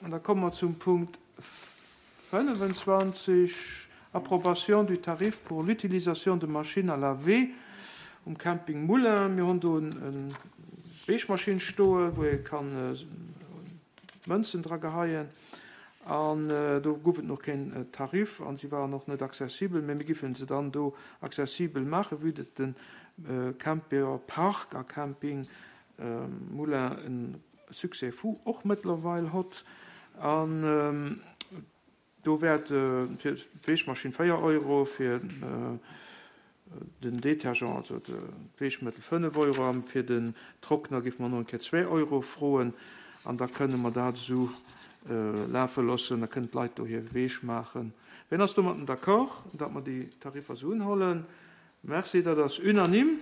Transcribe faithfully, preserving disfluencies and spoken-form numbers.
An da komme mer zum Punkt fënnefenzwanzeg, Approbation du tarif pour l'utilisation de machines à laver um Camping Moulin. Mir hunn do eng Wäschmaschinn stoen, wou ee kann Mënzen dra geheien. An do gouf et nach keen Tarif an si waren och net accessibel, mä mir giffen se dann do accessibel maachen, vue datt de Camper Park a Camping Moulin e Succès fou och mëttlerweil hott. An do wäert fir d'Wäschmaschinn véier Euro, fir den Detergent, also d'Wäschmëttel, fënnef Euro an fir den Trockner géife mer nach eng Kéier zwee Euro froen. An da kënne mer dat esou lafe loossen, da kënnen d'Leit do hir Wäsch maachen. Wien ass domatten d'accord, datt mer déi Tariffer esou unhollen? Merci, dat ass unanime.